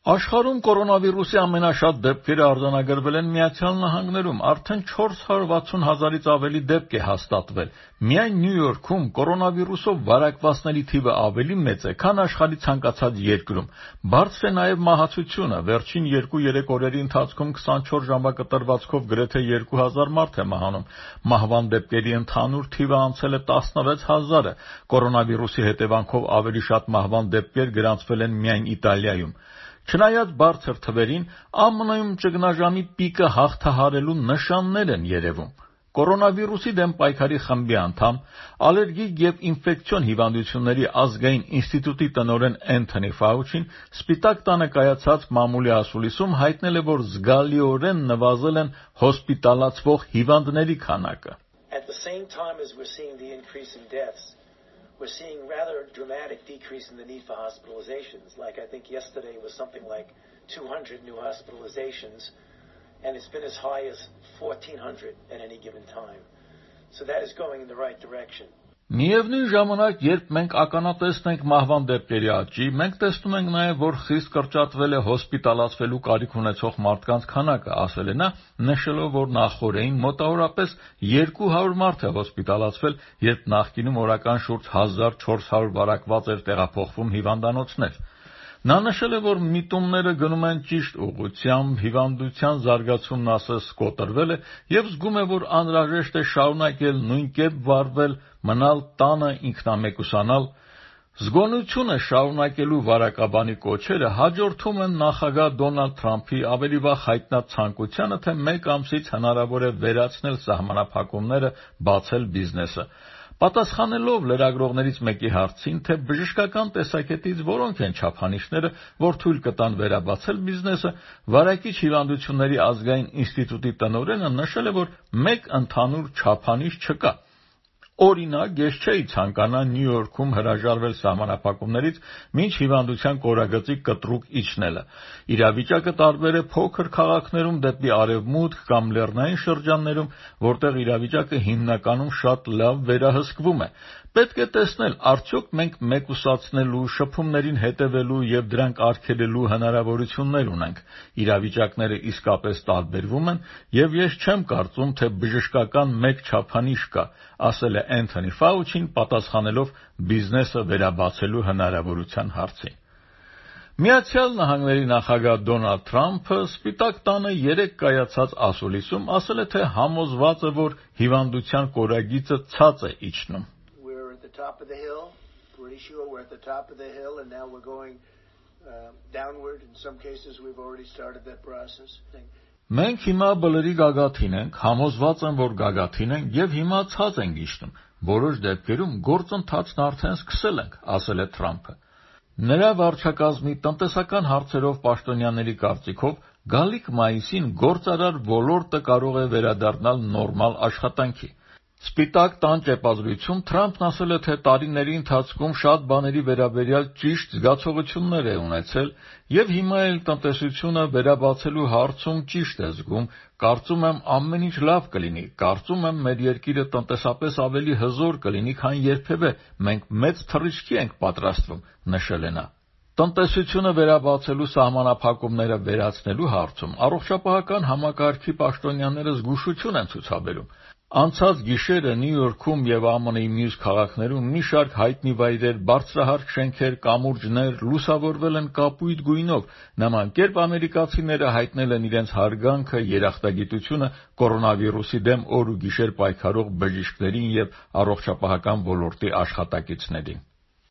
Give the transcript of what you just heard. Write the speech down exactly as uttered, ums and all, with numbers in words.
Աշխարհում կորոնավիրուսի ամենաշատ դեպքերը արձանագրվել են Միացյալ Նահանգներում, արդեն չորս հարյուր վաթսուն հազարից ավելի դեպք է հաստատվել։ Միայն Նյու Յորքում կորոնավիրուսով վարակվածների թիվը ավելի մեծ է, քան աշխարհի ցանկացած երկրում։ Բարձր է նաև մահացությունը, վերջին երկու-երեք օրերի ընթացքում քսանչորս ժամակտրվածքով գրեթե երկու հազար մարդ է մահանում։ Մահվան դեպքերի ընդհանուր թիվը անցել է տասնվեց հազարը, կորոնավիրուսի հետևանքով ավելի շատ մահվան դեպքեր գրանցվել են միայն Իտալիայում։ Չնայած բարձր թվերին, ԱՄՆ-ում ճգնաժամի պիկը հաղթահարելու նշաններ են երևում։ Կորոնավիրուսի դեմ պայքարի խմբի անդամ, ալերգիկ և ինֆեկցիոն հիվանդությունների ազգային ինստիտուտի տնօրեն Էնթոնի Ֆաուչին Սպիտակ տանը կայացած մամուլի ասուլիսում հայտնել է, որ զգալիորեն նվազել են հոսպիտալացվող հիվանդների քանակը։ We're seeing rather dramatic decrease in the need for hospitalizations. Like I think yesterday was something like two hundred new hospitalizations, and it's been as high as fourteen hundred at any given time. So that is going in the right direction. Միևնույն ժամանակ, երբ մենք ականատեսն ենք մահվան դեպքերի աճի, մենք տեսնում ենք նաև, որ խիստ կրճատվել է հոսպիտալացվելու կարիք ունեցող մարդկանց քանակը, ասել է նա, նշելով, որ նախօրեին մոտավորապես երկու հարյուր մարդ է հոսպիտալացվել, երբ նախկինում օրական շուրջ հազար չորս հարյուր վարակված էր տեղափոխվում հիվանդանոցներ։ Նա նշել է, որ միտումները գնում են ճիշտ ուղղությամբ, հիվանդության զարգացումն ասես կոտրվել է և զգում է, որ անհրաժեշտ է շարունակել նույն կերպ վարվել, մնալ տանը, ինքնամեկուսանալ։ Զգոնությունը շարունակելու վարակաբանի կոչերը հաջորդում են նախագահ Դոնալդ Թրամփի ավելի վաղ հայտնած ցանկությանը, թե մեկ ամսից հնարավոր է վերացնել սահմանափակումները, բացել բիզնեսը։ Պատասխանելով լրագրողներից մեկի հարցին, թե բժշկական տեսակետից որոնք են չափանիշները, որ թույլ կտան վերաբացել բիզնեսը, Վարակիչ հիվանդությունների ազգային ինստիտուտի տնօրենը նշել է, որ մեկ ընդհանուր չափանիշ չկա։ Օրինակ, ես չէի ցանկանա Նյու Յորքում հրաժարվել սահմանափակումներից, մինչ հիվանդության կորագծի կտրուկ իջնելը։ Իրավիճակը տարբեր է փոքր քաղաքներում դեպի արևմուտք կամ լեռնային շրջաններում, որտեղ իրավիճակը հիմնականում շատ լավ վերահսկվում է։ Պետք է տեսնել, արդյոք մենք մեկուսացնելու, շփումներին հետևելու և դրանք արգելելու հնարավորություններ ունենք։ Իրավիճակները իսկապես տարբերվում են, և ես չեմ կարծում, թե բժշկական մեկ չափանիշ կա, ասել է Էնթոնի Ֆաուչին, պատասխանելով բիզնեսը վերաբացելու հնարավորության հարցին։ Միացյալ Նահանգների նախագահ Դոնալդ Թրամփը Սպիտակ տանը երեկ կայացած ասուլիսում ասել է, թե համոզված է, որ հիվանդության կորագիծը ցած է իջնում։ Top of the hill, pretty sure we're at the top of the hill, and now we're going uh, downward. In some cases, we've already started that process. Մենք հիմա բլրի գագաթին ենք, համոզված եմ, որ գագաթին ենք, և հիմա ցած ենք իջնում։ Որոշ դեպքերում գործընթացն արդեն սկսել ենք, ասել է Թրամփը։ Նրա վարչակազմի տնտեսական հարցերով պաշտոնյաների կարծիքով գալիք մայիսին գործարար ոլորտը կարող է վերադառնալ նորմալ աշխատանքի։ Սպիտակ տան ճեպազրույցում Թրամփն ասել է, թե տարիների ընթացքում շատ բաների վերաբերյալ ճիշտ զգացողություններ է ունեցել և հիմա էլ տնտեսությունը վերաբացելու հարցում ճիշտ է զգում, կարծում եմ ամեն ինչ լավ կլինի, կարծում եմ մեր երկիրը տնտեսապես ավելի հզոր կլինի, քան երբևէ, մենք մեծ թռիչքի ենք պատրաստվում, նշել է նա։ Տնտեսությունը վերաբացելու սահմանափակումները վերացնելու հարցում առողջապահական համակարգի պաշտոնյաները զգուշություն են ցուցաբերում։ Անցած գիշերը Նյու Յորքում և ԱՄՆ-ի մյուս քաղաքներում մի շարք հայտնի վայրեր, բարձրահարկ շենքեր, կամուրջներ լուսավորվել են կապույտ գույնով, նման կերպ ամերիկացիները հայտնել են իրենց հարգանքը, երախտագիտությունը կորոնավիրուսի դեմ օր ու գիշեր պայքարող բժիշկներին և առողջապահական ոլորտի աշխատակիցներին։